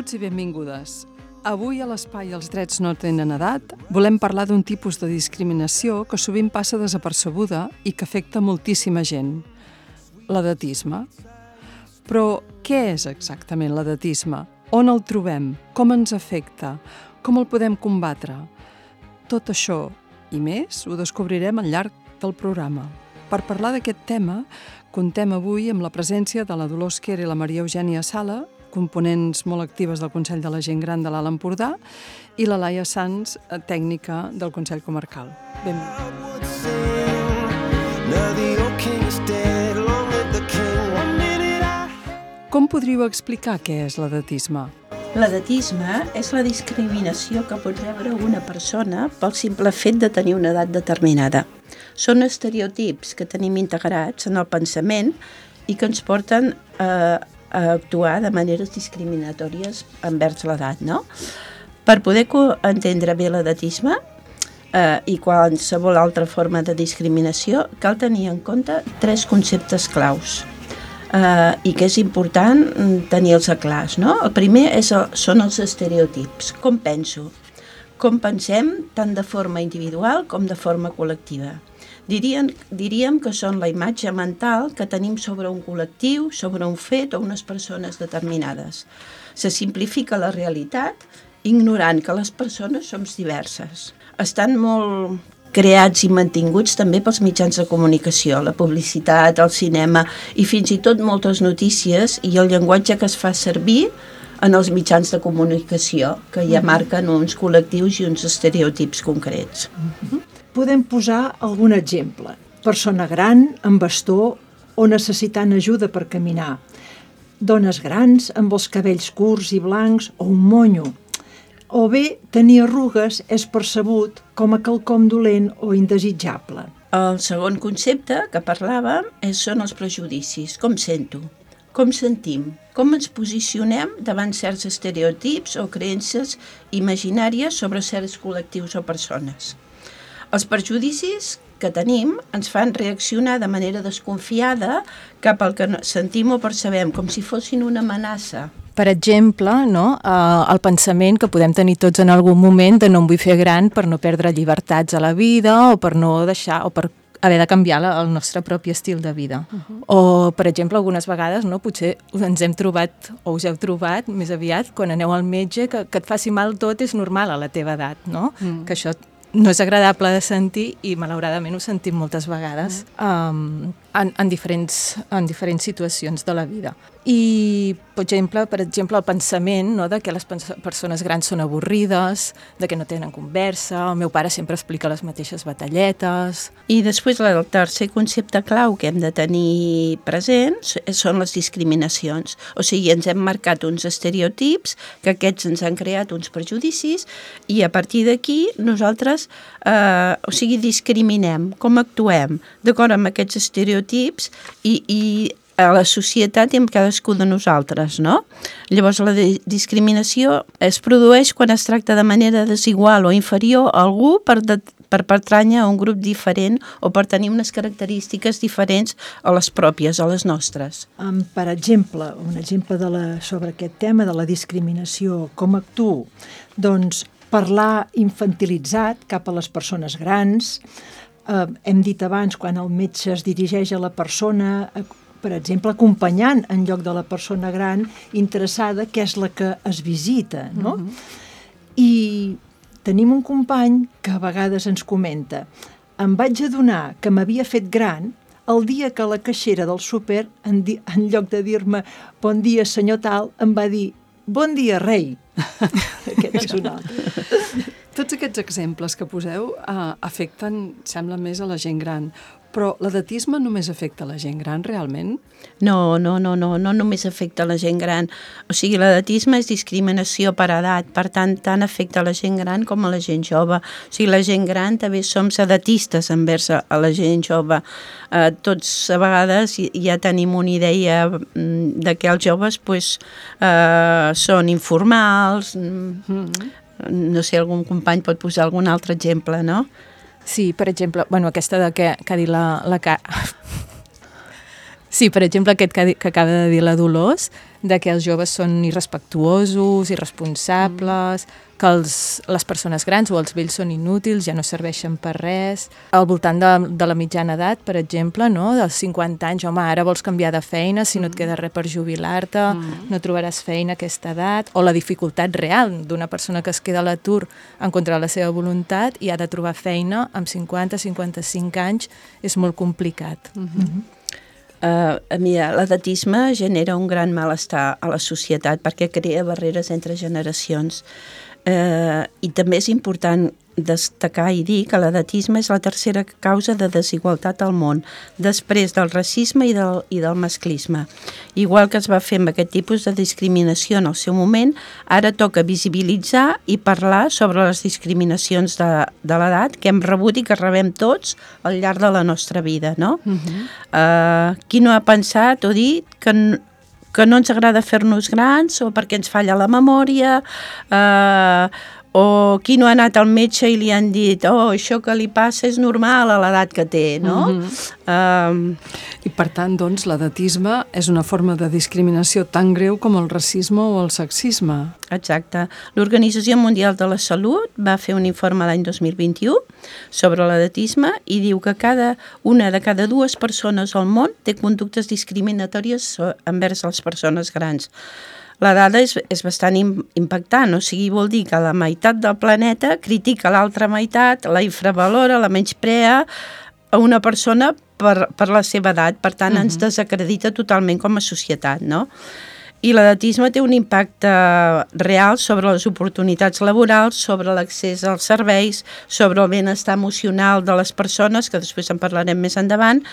Benvinguts i benvingudes. Avui a l'Espai Els drets no tenen edat volem parlar d'un tipus de discriminació que sovint passa desapercebuda i que afecta moltíssima gent. L'edatisme. Però què és exactament l'edatisme? On el trobem? Com ens afecta? Com el podem combatre? Tot això i més ho descobrirem al llarg del programa. Per parlar d'aquest tema, contem avui amb la presència de la Dolors Quer i la Maria Eugènia Sala, components molt actives del Consell de la Gent Gran de l'Alt Empordà, i la Laia Sans, tècnica del Consell Comarcal. Com podríeu explicar què és l'edatisme? L'edatisme és la discriminació que pot rebre una persona pel simple fet de tenir una edat determinada. Són estereotips que tenim integrats en el pensament i que ens porten a actuar de maneres discriminatòries envers l'edat, no? Per poder entendre bé l'edatisme i qualsevol altra forma de discriminació, cal tenir en compte 3 conceptes claus i que és important tenir-los clars, no? El primer són els estereotips. Com penso? Com pensem tant de forma individual com de forma col·lectiva. Diríem que són la imatge mental que tenim sobre un col·lectiu, sobre un fet o unes persones determinades. Se simplifica la realitat ignorant que les persones som diverses. Estan molt creats i mantinguts també pels mitjans de comunicació, la publicitat, el cinema i fins i tot moltes notícies i el llenguatge que es fa servir en els mitjans de comunicació, que ja marquen uns col·lectius i uns estereotips concrets. Podem posar algun exemple. Persona gran, amb bastó o necessitant ajuda per caminar. Dones grans amb els cabells curts i blancs o un monyo. O bé, tenir arrugues és percebut com a quelcom dolent o indesitjable. El segon concepte que parlàvem són els prejudicis. Com sento? Com sentim? Com ens posicionem davant certs estereotips o creences imaginàries sobre certs col·lectius o persones? Els prejudicis que tenim ens fan reaccionar de manera desconfiada cap al que sentim o percebem, com si fossin una amenaça. Per exemple, no? El pensament que podem tenir tots en algun moment de no em vull fer gran per no perdre llibertats a la vida o per no deixar o per haver de canviar el nostre propi estil de vida. O, per exemple, algunes vegades potser ens hem trobat o us heu trobat més aviat quan aneu al metge que et faci mal tot és normal a la teva edat, no? Que això no és agradable de sentir i malauradament ho sentim moltes vegades en diferents situacions de la vida. I, per exemple, el pensament, no, de que les persones grans són avorrides, de que no tenen conversa, el meu pare sempre explica les mateixes batalletes. I després el tercer concepte clau que hem de tenir presents són les discriminacions. O sigui, ens hem marcat uns estereotips, que aquests ens han creat uns prejudicis i a partir d'aquí nosaltres discriminem, com actuem d'acord amb aquests estereotips i a la societat i amb cadascú de nosaltres, no? Llavors la discriminació es produeix quan es tracta de manera desigual o inferior a algú per pertànyer a un grup diferent o per tenir unes característiques diferents a les pròpies, a les nostres. Per exemple, un exemple sobre aquest tema de la discriminació, com actuo? Doncs parlar infantilitzat cap a les persones grans. Hem dit abans, quan el metge es dirigeix a la persona, per exemple, acompanyant en lloc de la persona gran interessada, que és la que es visita, no? I tenim un company que a vegades ens comenta: em vaig adonar que m'havia fet gran el dia que la caixera del súper, en lloc de dir-me bon dia senyor tal, em va dir bon dia rei. Aquest és un altre. Tots aquests exemples que poseu afecten, sembla, més a la gent gran. Però l'edatisme només afecta la gent gran, realment? No només afecta la gent gran. O sigui, l'edatisme és discriminació per edat, per tant afecta la gent gran com a la gent jove. O sigui, la gent gran també som edatistes envers a la gent jove. Tots a vegades ja tenim una idea de que els joves són informals. No sé, algun company pot posar algun altre exemple, no? Sí, per exemple, aquesta de que ha dit la Sí, per exemple, aquest que acaba de dir la Dolors, de que els joves són irrespectuosos, irresponsables, que les persones grans o els vells són inútils, ja no serveixen per res. Al voltant de la mitjana edat, per exemple, no? Dels 50 anys, home, ara vols canviar de feina, si no et queda res per jubilar-te, no trobaràs feina a aquesta edat, o la dificultat real d'una persona que es queda a l'atur en contra de la seva voluntat i ha de trobar feina amb 50-55 anys, és molt complicat. Mira, l'edatisme genera un gran malestar a la societat perquè crea barreres entre generacions. I també és important destacar i dir que l'edatisme és la tercera causa de desigualtat al món, després del racisme i del masclisme. Igual que es va fer amb aquest tipus de discriminació en el seu moment, ara toca visibilitzar i parlar sobre les discriminacions de l'edat que hem rebut i que rebem tots al llarg de la nostra vida, no? Qui no ha pensat o dit que no ens agrada fer-nos grans o perquè ens falla la memòria, o qui no ha anat al metge i li han dit això que li passa és normal a l'edat que té, no? I per tant, doncs, l'edatisme és una forma de discriminació tan greu com el racisme o el sexisme. Exacte. L'Organització Mundial de la Salut va fer un informe l'any 2021 sobre l'edatisme i diu que una de cada dues persones al món té conductes discriminatòries envers les persones grans. La dada és bastant impactant, o sigui, vol dir que la meitat del planeta critica l'altra meitat, la infravalora, la menysprea a una persona per la seva edat, per tant ens desacredita totalment com a societat, no? I l'edatisme té un impacte real sobre les oportunitats laborals, sobre l'accés als serveis, sobre el benestar emocional de les persones, que després en parlarem més endavant,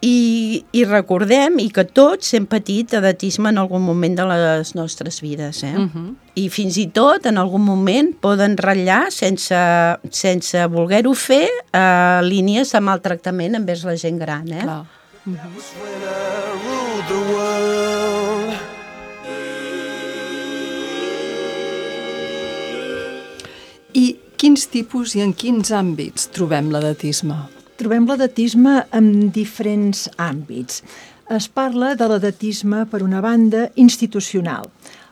i recordem i que tots hem patit edatisme en algun moment de les nostres vides. I fins i tot en algun moment poden ratllar sense voler-ho fer línies de maltractament envers la gent gran. Clar. I quins tipus i en quins àmbits trobem l'edatisme? Trobem l'edatisme en diferents àmbits. Es parla de l'edatisme, per una banda, institucional.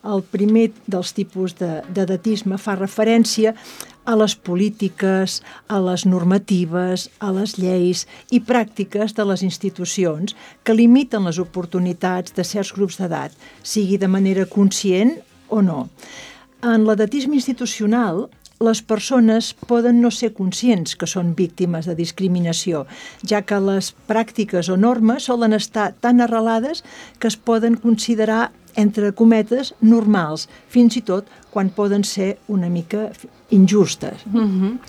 El primer dels tipus d'edatisme fa referència a les polítiques, a les normatives, a les lleis i pràctiques de les institucions que limiten les oportunitats de certs grups d'edat, sigui de manera conscient o no. En l'edatisme institucional, les persones poden no ser conscients que són víctimes de discriminació, ja que les pràctiques o normes solen estar tan arrelades que es poden considerar, entre cometes, normals, fins i tot quan poden ser una mica injustes.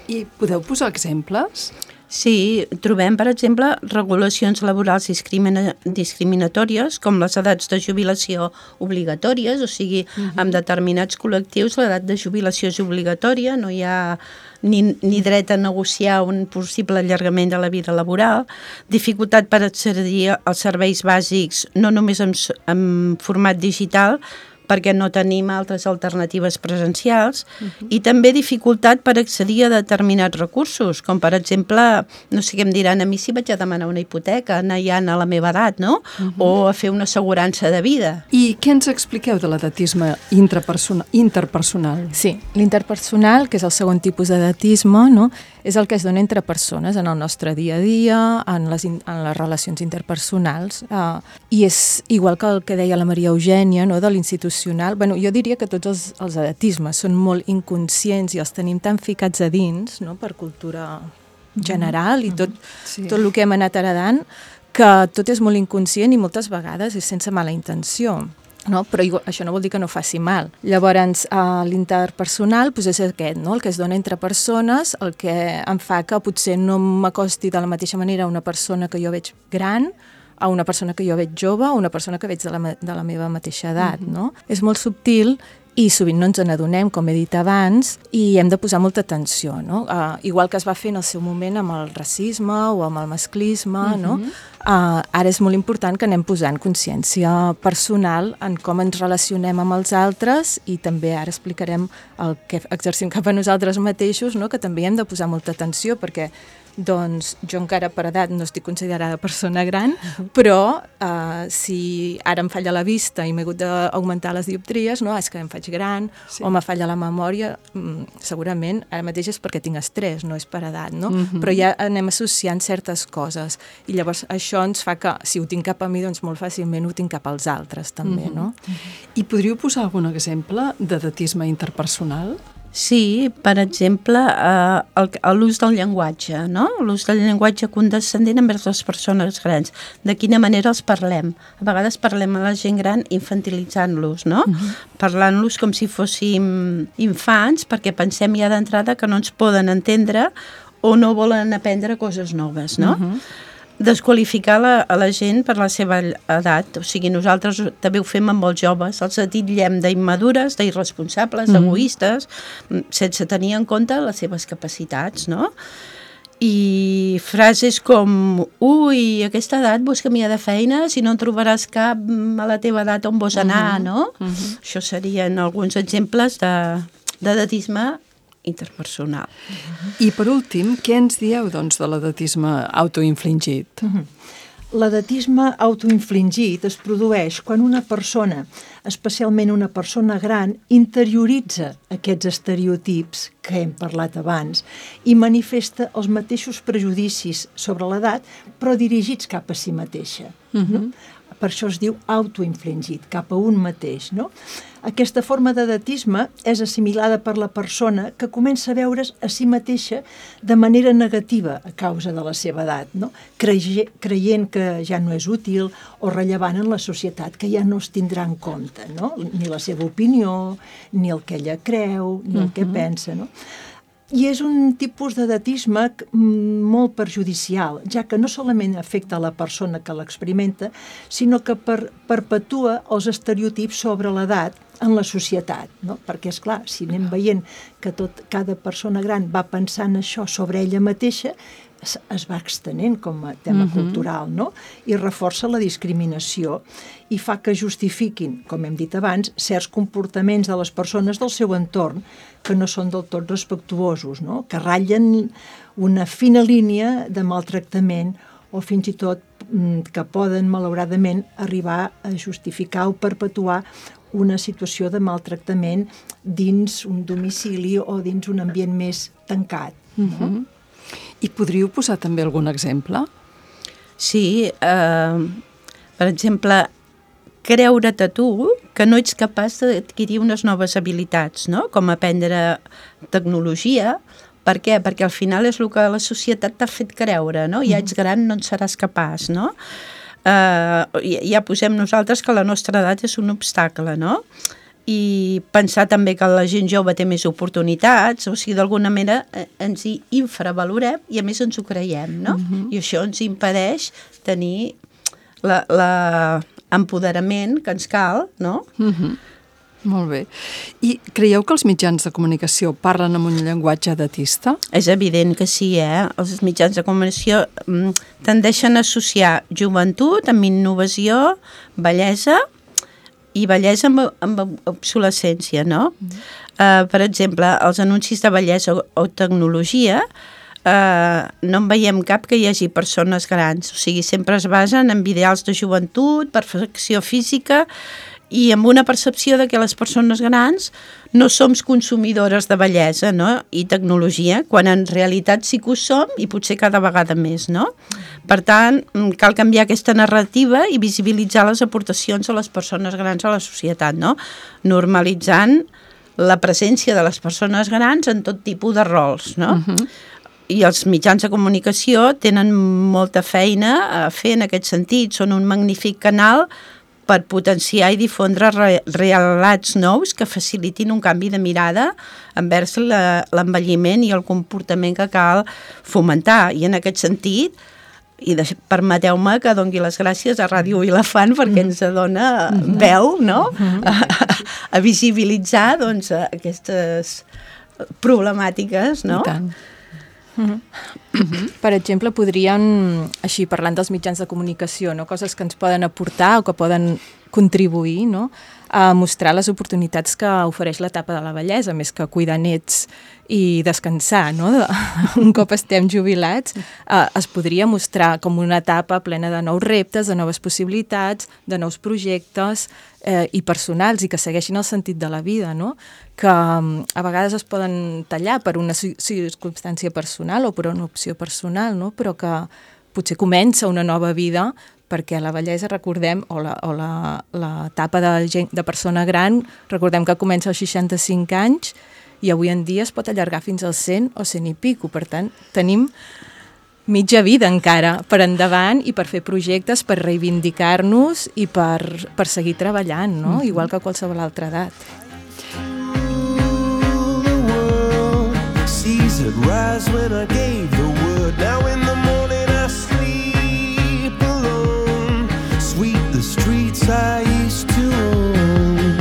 I podeu posar exemples? Sí, trobem, per exemple, regulacions laborals discriminatòries, com les edats de jubilació obligatòries, o sigui, en determinats col·lectius l'edat de jubilació és obligatòria, no hi ha ni dret a negociar un possible allargament de la vida laboral, dificultat per accedir als serveis bàsics, no només en format digital, perquè no tenim altres alternatives presencials, i també dificultat per accedir a determinats recursos, com per exemple, no sé què em diran a mi si vaig a demanar una hipoteca, ja a la meva edat, no? O a fer una assegurança de vida. I què ens expliqueu de l'edatisme interpersonal? Sí, l'interpersonal, que és el segon tipus d'edatisme, no? És el que es dona entre persones en el nostre dia a dia, en les relacions interpersonals, i és igual que el que deia la Maria Eugènia, no? De l'institucional. Bueno, jo diria que tots els edatismes són molt inconscients i els tenim tan ficats a dins, no? Per cultura general i tot el que hem anat heredant, que tot és molt inconscient i moltes vegades és sense mala intenció. No? Però això no vol dir que no faci mal. Llavors, l'interpersonal és aquest, no? El que es dona entre persones, el que em fa que potser no m'acosti de la mateixa manera a una persona que jo veig gran, a una persona que jo veig jove, o una persona que veig de la meva mateixa edat. No? És molt subtil i sovint no ens n'adonem, com he dit abans, i hem de posar molta atenció. No? Igual que es va fer en el seu moment amb el racisme o amb el masclisme, no? ara és molt important que anem posant consciència personal en com ens relacionem amb els altres i també ara explicarem el que exercim cap a nosaltres mateixos, no? Que també hi hem de posar molta atenció perquè doncs jo encara per edat no estic considerada persona gran, però si ara em falla la vista i m'he hagut d'augmentar les dioptries, no? És que em faig gran o me falla la memòria, segurament ara mateix és perquè tinc estrès, no és per edat, no? Però ja anem associant certes coses i llavors això ens fa que si ho tinc cap a mi, doncs molt fàcilment ho tinc cap als altres també, no? I podríeu posar algun exemple d'edatisme interpersonal? Sí, per exemple, l'ús del llenguatge, no? L'ús del llenguatge condescendent envers les persones grans. De quina manera els parlem? A vegades parlem a la gent gran infantilitzant-los, no? Parlant-los com si fóssim infants, perquè pensem ja d'entrada que no ens poden entendre o no volen aprendre coses noves, no? Desqualificar a la gent per la seva edat, o sigui, nosaltres també ho fem amb molts joves, els titllem d'immmadures, d'irresponsables, d'egoistes, sense tenir en compte les seves capacitats, no? I frases com, ui, a aquesta edat vols canviar de feina, si no en trobaràs cap a la teva edat on vols anar, no? Això serien alguns exemples d'edatisme interpersonal. I per últim, què ens dieu doncs, de l'edatisme autoinfligit? L'edatisme autoinfligit es produeix quan una persona, especialment una persona gran, interioritza aquests estereotips que hem parlat abans i manifesta els mateixos prejudicis sobre l'edat, però dirigits cap a si mateixa. No? Per això es diu autoinfligit, cap a un mateix, no? Aquesta forma d'edatisme és assimilada per la persona que comença a veure's a si mateixa de manera negativa a causa de la seva edat, no? Creient que ja no és útil o rellevant en la societat, que ja no es tindrà en compte, no? Ni la seva opinió, ni el que ella creu, ni el que pensa, no? I és un tipus d'edatisme molt perjudicial, ja que no solament afecta la persona que l'experimenta, sinó que perpetua els estereotips sobre l'edat en la societat, no? Perquè, esclar, si anem veient que cada persona gran va pensant això sobre ella mateixa, es va extenent com a tema cultural, no? I reforça la discriminació i fa que justifiquin, com hem dit abans, certs comportaments de les persones del seu entorn que no són del tot respectuosos, no? Que ratllen una fina línia de maltractament o fins i tot que poden, malauradament, arribar a justificar o perpetuar una situació de maltractament dins un domicili o dins un ambient més tancat, no? I podríeu posar també algun exemple? Sí, per exemple, creure't a tu que no ets capaç d'adquirir unes noves habilitats, no? Com aprendre tecnologia. Per què? Perquè al final és el que la societat t'ha fet creure, no? Ja ets gran, no en seràs capaç, no? Ja posem nosaltres que la nostra edat és un obstacle, no? I pensar també que la gent jove té més oportunitats, o sigui, d'alguna manera ens hi infravalorem i a més ens ho creiem, no? I això ens impedeix tenir l'empoderament que ens cal, no? Molt bé. I creieu que els mitjans de comunicació parlen amb un llenguatge edatista? És evident que sí, Els mitjans de comunicació tendeixen a associar joventut amb innovació, bellesa, i bellesa amb obsolescència, no? Per exemple, els anuncis de bellesa o tecnologia no en veiem cap que hi hagi persones grans, o sigui, sempre es basen en ideals de joventut, perfecció física i amb una percepció de que les persones grans no som consumidores de bellesa, no? I tecnologia, quan en realitat sí que ho som i potser cada vegada més, no? Per tant, cal canviar aquesta narrativa i visibilitzar les aportacions de les persones grans a la societat, no? Normalitzant la presència de les persones grans en tot tipus de rols, no? I els mitjans de comunicació tenen molta feina a fer en aquest sentit, són un magnífic canal per potenciar i difondre relats nous que facilitin un canvi de mirada envers l'envelliment i el comportament que cal fomentar. I en aquest sentit, i permeteu-me que doni les gràcies a Ràdio Vilafant perquè ens dona veu, no? A visibilitzar, doncs, aquestes problemàtiques, no? I tant. Per exemple, podrien, així parlant dels mitjans de comunicació, no? Coses que ens poden aportar o que poden contribuir, no? A mostrar les oportunitats que ofereix l'etapa de la vellesa, més que cuidar nets i descansar, no? Un cop estem jubilats, es podria mostrar com una etapa plena de nous reptes, de noves possibilitats, de nous projectes i personals i que segueixin el sentit de la vida, no? Que a vegades es poden tallar per una circumstància personal o per una opció personal, no? Però que potser comença una nova vida perquè la vellesa, recordem, o l'etapa de persona gran, recordem que comença als 65 anys i avui en dia es pot allargar fins als 100 o 100 i pico. Per tant, tenim mitja vida encara per endavant i per fer projectes, per reivindicar-nos i per seguir treballant, no? Igual que a qualsevol altra edat. Rise when I gave the word. Now in the morning I sleep alone. Sweep the streets I used to own.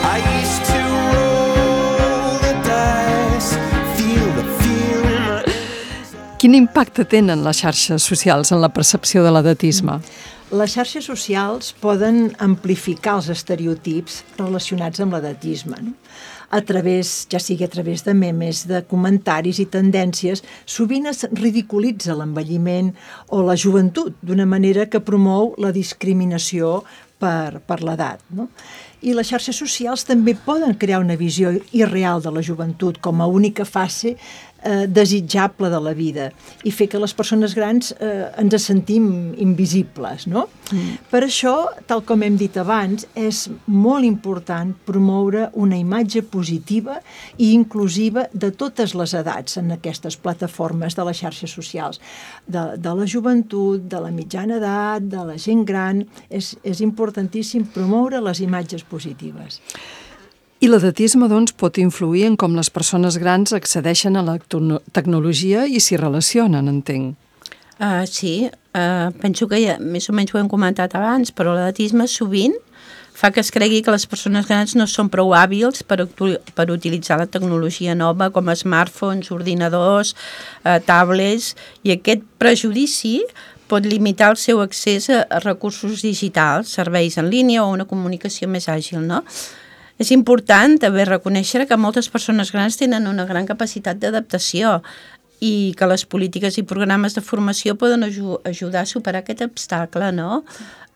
I used to roll the dice, feel the fear in my... Quin impacte tenen les xarxes socials en la percepció de l'edatisme? Les xarxes socials poden amplificar els estereotips relacionats amb l'edatisme, no? Ja sigui a través de memes, de comentaris i tendències, sovint es ridiculitza l'envelliment o la joventut d'una manera que promou la discriminació per l'edat, no? I les xarxes socials també poden crear una visió irreal de la joventut com a única fase desitjable de la vida i fer que les persones grans ens sentim invisibles, no? Per això, tal com hem dit abans, és molt important promoure una imatge positiva i inclusiva de totes les edats en aquestes plataformes de les xarxes socials, de la joventut, de la mitjana edat, de la gent gran. És importantíssim promoure les imatges positives. I l'edatisme, doncs, pot influir en com les persones grans accedeixen a la tecnologia i s'hi relacionen, entenc. Sí, penso que ja més o menys ho hem comentat abans, però l'edatisme sovint fa que es cregui que les persones grans no són prou hàbils per utilitzar la tecnologia nova com smartphones, ordinadors, tablets, i aquest prejudici pot limitar el seu accés a recursos digitals, serveis en línia o una comunicació més àgil, no? És important també reconèixer que moltes persones grans tenen una gran capacitat d'adaptació i que les polítiques i programes de formació poden ajudar a superar aquest obstacle, no?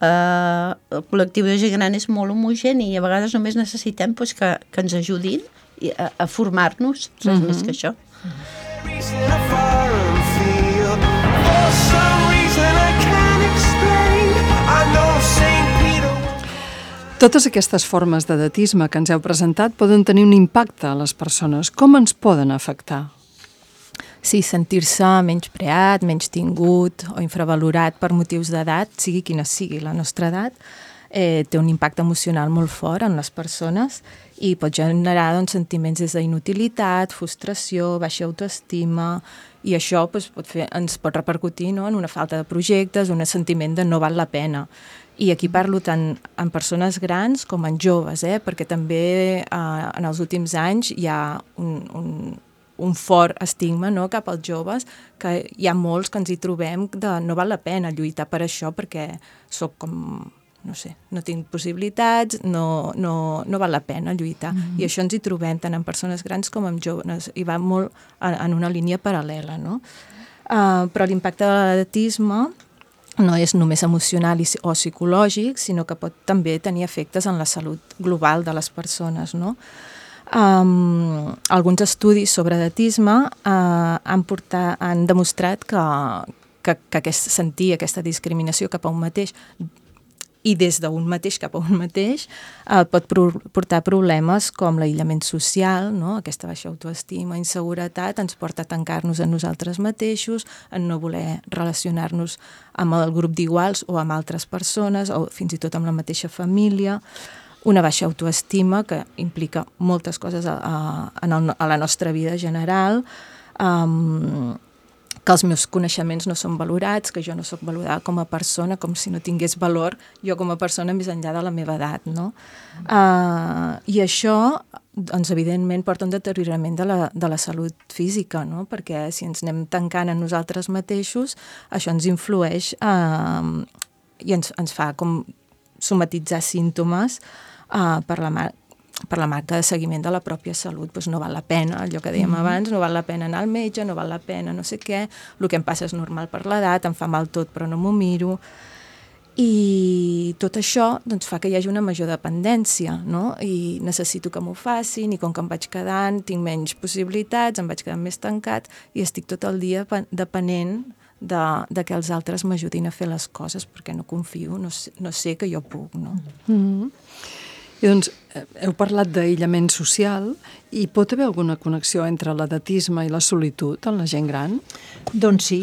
El col·lectiu de gent gran és molt homogeni i a vegades només necessitem que ens ajudin a formar-nos, res més que això. Totes aquestes formes d'edatisme que ens heu presentat poden tenir un impacte a les persones. Com ens poden afectar? Sí, sentir-se menyspreat, menys tingut o infravalorat per motius d'edat, sigui quina sigui la nostra edat, té un impacte emocional molt fort en les persones i pot generar sentiments d'inutilitat, frustració, baixa autoestima, i això ens pot repercutir en una falta de projectes, un sentiment de no val la pena. I aquí parlo tant en persones grans com en joves, perquè també en els últims anys hi ha un fort estigma cap als joves, que hi ha molts que ens hi trobem de no val la pena lluitar per això perquè soc com, no sé, no tinc possibilitats, no val la pena lluitar. I això ens hi trobem tant en persones grans com en joves, i va molt en una línia paral·lela, no? Però l'impacte de l'edatisme no és només emocional o psicològic, sinó que pot també tenir efectes en la salut global de les persones, no? Alguns estudis sobre edatisme han demostrat que sentir aquesta discriminació cap a un mateix i des d'un mateix cap a un mateix pot portar problemes com l'aïllament social, no? Aquesta baixa autoestima, inseguretat, ens porta a tancar-nos en nosaltres mateixos, en no voler relacionar-nos amb el grup d'iguals o amb altres persones o fins i tot amb la mateixa família, una baixa autoestima que implica moltes coses a la nostra vida general, que els meus coneixements no són valorats, que jo no sóc valorada com a persona, com si no tingués valor jo com a persona més enllà de la meva edat, no? I això, doncs, evidentment, porta un deteriorament de la salut física, no? Perquè si ens anem tancant a nosaltres mateixos, això ens influeix i ens fa com somatitzar símptomes per la manca de seguiment de la pròpia salut. Doncs no val la pena, allò que dèiem abans, no val la pena anar al metge, no val la pena no sé què, el que em passa és normal per l'edat, em fa mal tot però no m'ho miro. I tot això doncs, fa que hi hagi una major dependència, no? I necessito que m'ho facin, i com que em vaig quedant, tinc menys possibilitats, em vaig quedant més tancat i estic tot el dia depenent de que els altres m'ajudin a fer les coses, perquè no confio, no sé que jo puc, no? I doncs, heu parlat d'aïllament social i pot haver alguna connexió entre l'edatisme i la solitud en la gent gran? Doncs sí,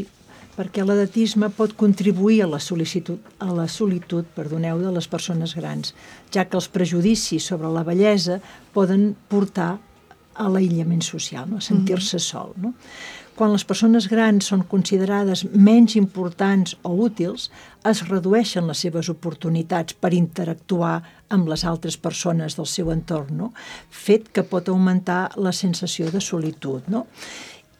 perquè l'edatisme pot contribuir a la solitud de les persones grans, ja que els prejudicis sobre la bellesa poden portar a l'aïllament social, no? A sentir-se sol, no? Quan les persones grans són considerades menys importants o útils, es redueixen les seves oportunitats per interactuar amb les altres persones del seu entorn, no? Fet que pot augmentar la sensació de solitud, no?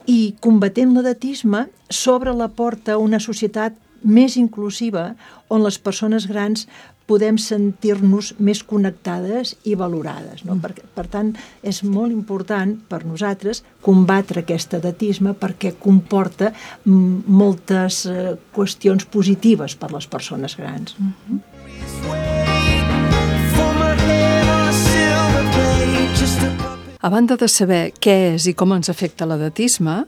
I combatent l'edatisme s'obre la porta a una societat més inclusiva on les persones grans podem sentir-nos més connectades i valorades, no? Per tant, és molt important per nosaltres combatre aquest edatisme perquè comporta moltes qüestions positives per les persones grans. A banda de saber què és i com ens afecta l'edatisme,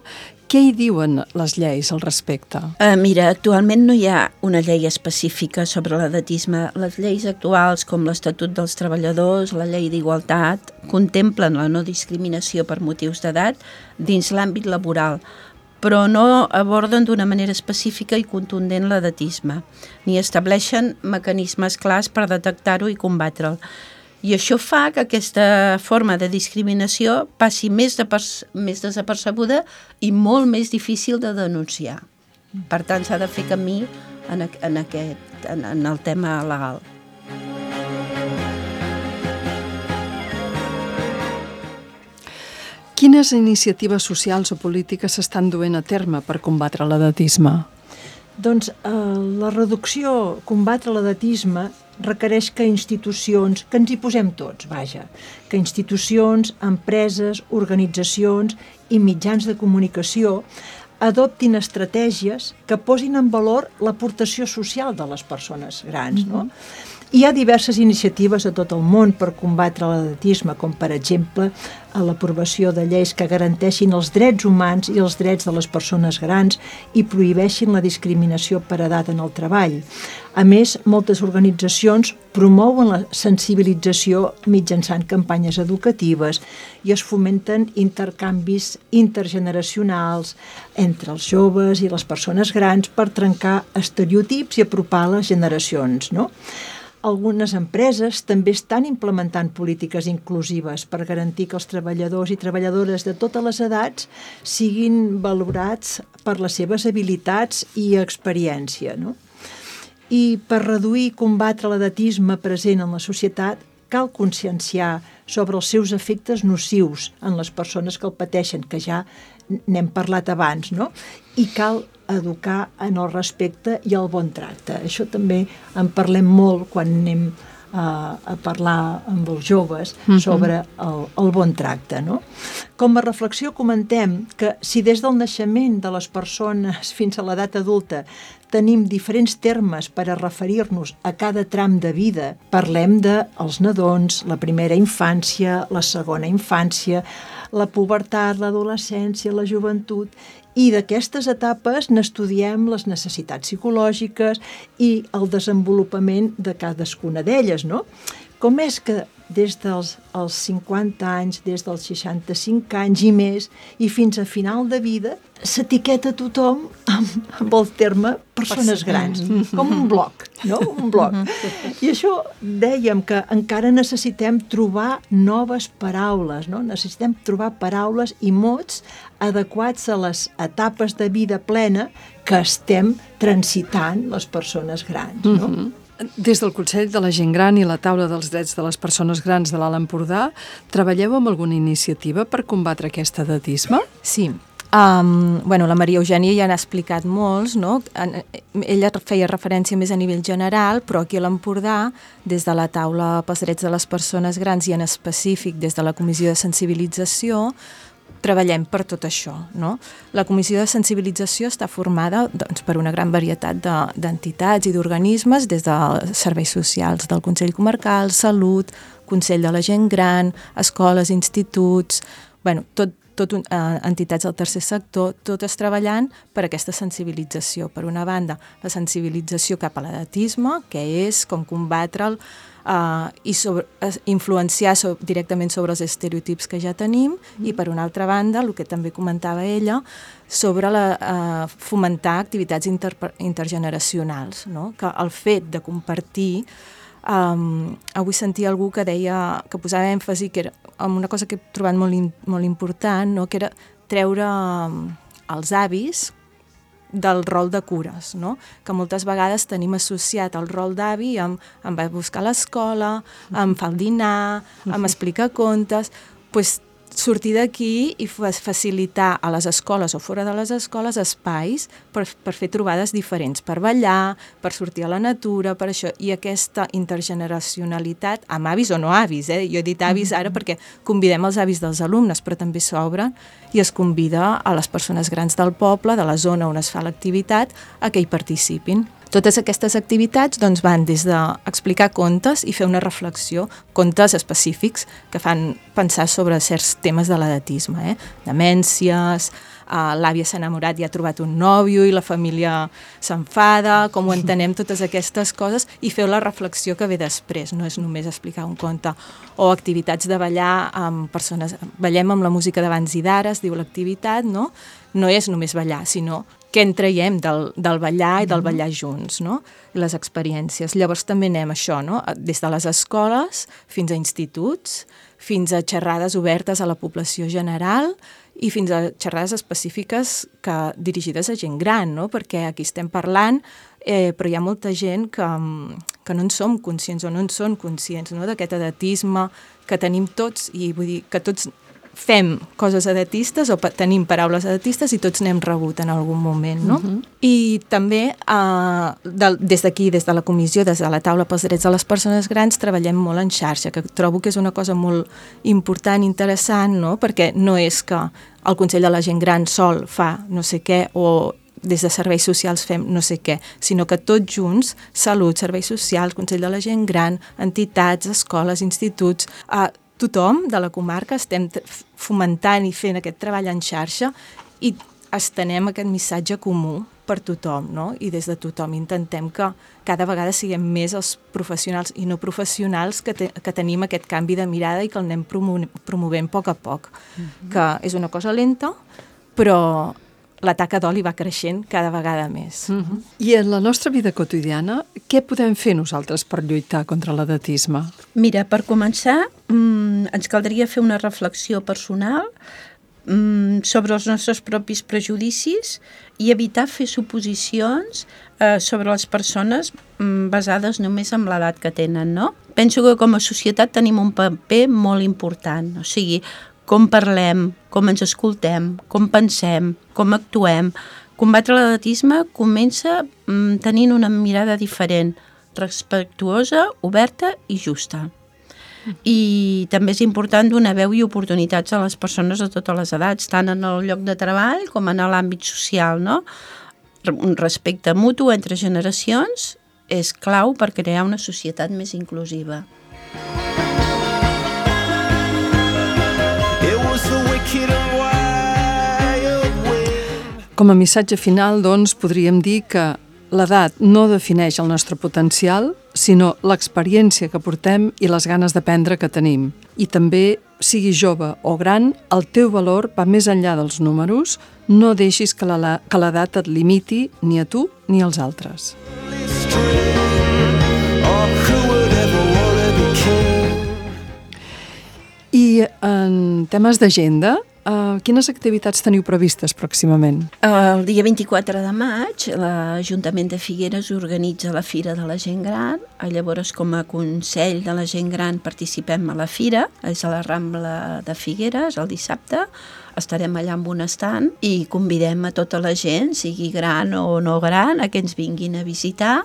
què hi diuen les lleis al respecte? Mira, actualment no hi ha una llei específica sobre l'edatisme. Les lleis actuals, com l'Estatut dels Treballadors, la Llei d'Igualtat, contemplen la no discriminació per motius d'edat dins l'àmbit laboral, però no aborden d'una manera específica i contundent l'edatisme, ni estableixen mecanismes clars per detectar-ho i combatre'l. I això fa que aquesta forma de discriminació passi més desapercebuda i molt més difícil de denunciar. Per tant, s'ha de fer camí en el tema legal. Quines iniciatives socials o polítiques s'estan duent a terme per combatre l'edatisme? Doncs la reducció, combatre l'edatisme, requereix que institucions, que ens hi posem tots, vaja, que institucions, empreses, organitzacions i mitjans de comunicació adoptin estratègies que posin en valor l'aportació social de les persones grans, no? Hi ha diverses iniciatives a tot el món per combatre l'edatisme, com per exemple l'aprovació de lleis que garanteixin els drets humans i els drets de les persones grans i prohibeixin la discriminació per edat en el treball. A més, moltes organitzacions promouen la sensibilització mitjançant campanyes educatives i es fomenten intercanvis intergeneracionals entre els joves i les persones grans per trencar estereotips i apropar les generacions, no? Algunes empreses també estan implementant polítiques inclusives per garantir que els treballadors i treballadores de totes les edats siguin valorats per les seves habilitats i experiència, no? I per reduir i combatre l'edatisme present en la societat cal conscienciar sobre els seus efectes nocius en les persones que el pateixen, que ja n'hem parlat abans, no? I cal educar en el respecte i el bon tracte. Això també en parlem molt quan anem a parlar amb els joves sobre el bon tracte, no? Com a reflexió comentem que si des del naixement de les persones fins a l'edat adulta tenim diferents termes per a referir-nos a cada tram de vida, parlem dels nadons, la primera infància, la segona infància, la pubertat, l'adolescència, la joventut, i d'aquestes etapes n'estudiem les necessitats psicològiques i el desenvolupament de cadascuna d'elles, no? Com és que des dels 50 anys, des dels 65 anys i més, i fins a final de vida, s'etiqueta tothom amb el terme persones grans, com un bloc, no? Un bloc. I això dèiem que encara necessitem trobar noves paraules, no? Necessitem trobar paraules i mots adequats a les etapes de vida plena que estem transitant les persones grans, no? Des del Consell de la Gent Gran i la Taula dels Drets de les Persones Grans de l'Alt Empordà, treballeu amb alguna iniciativa per combatre aquest edatisme? Sí. La Maria Eugènia ja n'ha explicat molts, no? Ella feia referència més a nivell general, però aquí a l'Empordà, des de la Taula pels Drets de les Persones Grans i en específic des de la Comissió de Sensibilització, treballem per tot això, no? La Comissió de Sensibilització està formada per una gran varietat d'entitats i d'organismes, des de serveis socials del Consell Comarcal, Salut, Consell de la Gent Gran, escoles, instituts, entitats del tercer sector, totes treballant per aquesta sensibilització. Per una banda, la sensibilització cap a l'edatisme, que és com combatre'l, i influenciar directament sobre els estereotips que ja tenim, i per una altra banda, el que també comentava ella, sobre fomentar activitats intergeneracionals, no? Que el fet de compartir, avui sentia algú que deia, que posava èmfasi, que era una cosa que he trobat molt important, no? Que era treure els avis del rol de cures, no? Que moltes vegades tenim associat el rol d'avi amb va a buscar a l'escola, amb fa el dinar, amb explicar contes, doncs sortir d'aquí i facilitar a les escoles o fora de les escoles espais per fer trobades diferents, per ballar, per sortir a la natura, per això. I aquesta intergeneracionalitat, amb avis o no avis, jo he dit avis ara perquè convidem els avis dels alumnes, però també s'obren i es convida a les persones grans del poble, de la zona on es fa l'activitat, a que hi participin. Totes aquestes activitats van des d'explicar contes i fer una reflexió, contes específics que fan pensar sobre certs temes de l'edatisme, demències, l'àvia s'ha enamorat i ha trobat un nòvio i la família s'enfada, com ho entenem, totes aquestes coses, i feu la reflexió que ve després, no és només explicar un conte. O activitats de ballar amb persones, ballem amb la música d'abans i d'ara, es diu l'activitat, no? No és només ballar, sinó què en traiem del ballar i del ballar junts, no? Les experiències. Llavors també anem això, no? Des de les escoles fins a instituts, fins a xerrades obertes a la població general i fins a xerrades específiques dirigides a gent gran, no? Perquè aquí estem parlant, però hi ha molta gent que no en som conscients o no en són conscients, no? D'aquest edatisme que tenim tots, i vull dir que tots fem coses edatistes o tenim paraules edatistes i tots n'hem rebut en algun moment, no? I també des d'aquí, des de la comissió, des de la Taula pels Drets de les Persones Grans, treballem molt en xarxa, que trobo que és una cosa molt important, interessant, no? Perquè no és que el Consell de la Gent Gran sol fa no sé què o des de serveis socials fem no sé què, sinó que tots junts, Salut, serveis socials, Consell de la Gent Gran, entitats, escoles, instituts, tothom de la comarca estem fomentant i fent aquest treball en xarxa i estenem aquest missatge comú per tothom, no? I des de tothom intentem que cada vegada siguem més els professionals i no professionals que tenim aquest canvi de mirada i que el anem promovent a poc a poc, que és una cosa lenta, però la taca d'oli va creixent cada vegada més. I en la nostra vida quotidiana, què podem fer nosaltres per lluitar contra l'edatisme? Mira, per començar, ens caldria fer una reflexió personal sobre els nostres propis prejudicis i evitar fer suposicions sobre les persones basades només en l'edat que tenen, no? Penso que com a societat tenim un paper molt important, o sigui, com parlem, com ens escoltem, com pensem, com actuem. Combatre l'edatisme comença tenint una mirada diferent, respectuosa, oberta i justa. I també és important donar veu i oportunitats a les persones de totes les edats, tant en el lloc de treball com en l'àmbit social, no? Un respecte mutu entre generacions és clau per crear una societat més inclusiva. Com a missatge final, doncs, podríem dir que l'edat no defineix el nostre potencial, sinó l'experiència que portem i les ganes d'aprendre que tenim. I també, sigui jove o gran, el teu valor va més enllà dels números. No deixis que l'edat et limiti ni a tu ni als altres. I en temes d'agenda, quines activitats teniu previstes pròximament? El dia 24 de maig l'Ajuntament de Figueres organitza la Fira de la Gent Gran. Llavors, com a Consell de la Gent Gran participem a la Fira, és a la Rambla de Figueres el dissabte. Estarem allà amb un estand i convidem a tota la gent, sigui gran o no gran, a que ens vinguin a visitar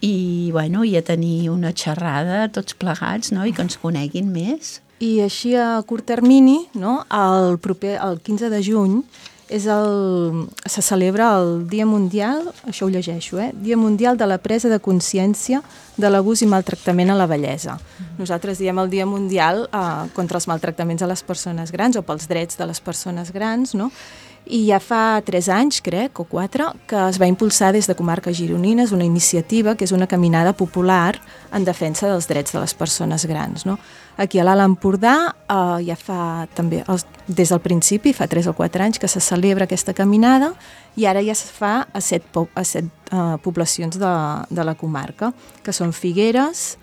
i, bueno, i a tenir una xerrada tots plegats, no? I que ens coneguin més. I així a curt termini, no? El 15 de juny, se celebra el Dia Mundial, això ho llegeixo, Dia Mundial de la presa de consciència de l'abús i maltractament a la vellesa. Nosaltres diem el Dia Mundial contra els maltractaments a les persones grans o pels drets de les persones grans, no? I ja fa 3 anys, crec, o 4, que es va impulsar des de Comarques Gironines una iniciativa que és una caminada popular en defensa dels drets de les persones grans, no? Aquí a l'Alt Empordà ja fa també, des del principi, fa 3 o 4 anys que se celebra aquesta caminada i ara ja es fa a 7 poblacions de la comarca, que són Figueres,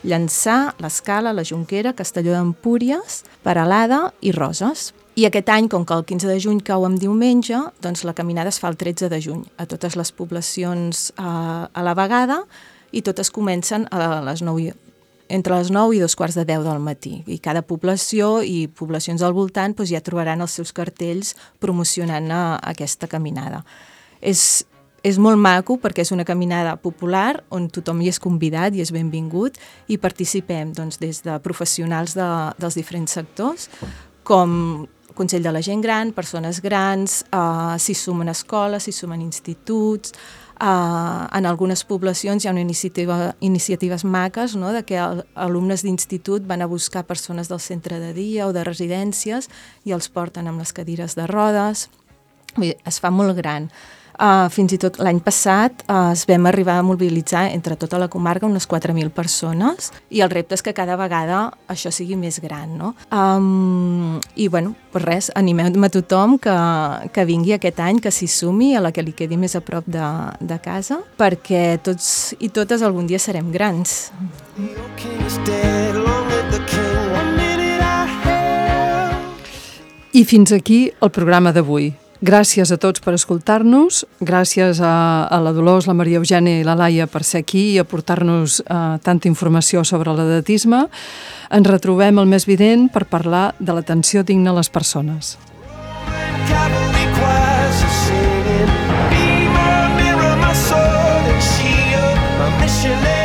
Llançà, l'Escala, la Jonquera, Castelló d'Empúries, Peralada i Roses. I aquest any, com que el 15 de juny cau en diumenge, doncs la caminada es fa el 13 de juny a totes les poblacions a la vegada i totes comencen entre les 9 i 2:15 del matí. I cada població i poblacions al voltant doncs ja trobaran els seus cartells promocionant aquesta caminada. És molt maco perquè és una caminada popular on tothom hi és convidat i és benvingut i participem doncs, des de professionals dels diferents sectors com Consell de la Gent Gran, persones grans, s'hi sumen escoles, s'hi sumen instituts. En algunes poblacions hi ha iniciatives maques, no?, de que alumnes d'institut van a buscar persones del centre de dia o de residències i els porten amb les cadires de rodes. Es fa molt gran. Fins i tot l'any passat es vam arribar a mobilitzar entre tota la comarca unes 4.000 persones i el repte és que cada vegada això sigui més gran, no? I bueno, pues res, animem a tothom que vingui aquest any, que s'hi sumi, a la que li quedi més a prop de casa, perquè tots i totes algun dia serem grans. I fins aquí el programa d'avui. Gràcies a tots per escoltar-nos, gràcies a la Dolors, la Maria Eugènia i la Laia per ser aquí i aportar-nos tanta informació sobre l'edatisme. Ens retrobem el mes vinent per parlar de l'atenció digna a les persones. Be my mirror, my sword and shield, my mission.